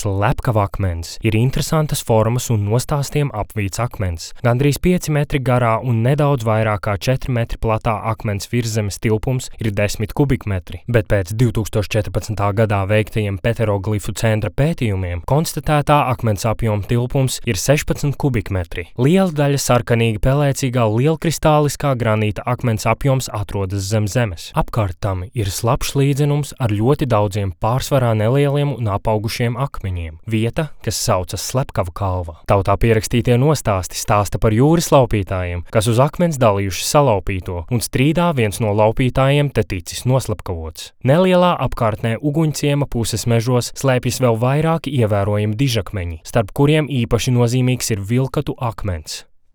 slepkava akmens ir interesantas formas un nostāstiem apvīts akmens. Gandrīz 5 metri garā un nedaudz vairāk kā 4 metri platā akmens virszemes tilpums ir 10 kubikmetri, bet pēc 2014. gadā veiktajiem peteroglifu centra pētījumiem konstatētā akmens apjoma tilpums ir 16 kubikmetri. Liela daļa sarkanīgi pelēcīgā lielkristāliskā granīta akmens apjoms atrodas zem zemes. Apkārt tam ir slapjš līdzenums ar ļoti daudziem pārsvarā nelieliem un apaugušiem akmeņiem. Vieta, kas saucas Slepkava kalva. Tautā pierakstītie nostāsti stāsta par jūras laupītājiem, kas uz akmens dalījuši salaupīto, un strīdā viens no laupītājiem te ticis noslepkavots. Nelielā apkārtnē Uguņciema puses mežos slēpjas vēl vairāki ievērojami dižakmeņi, starp kuriem īpaši nozīmīgs ir vilkatu akmens.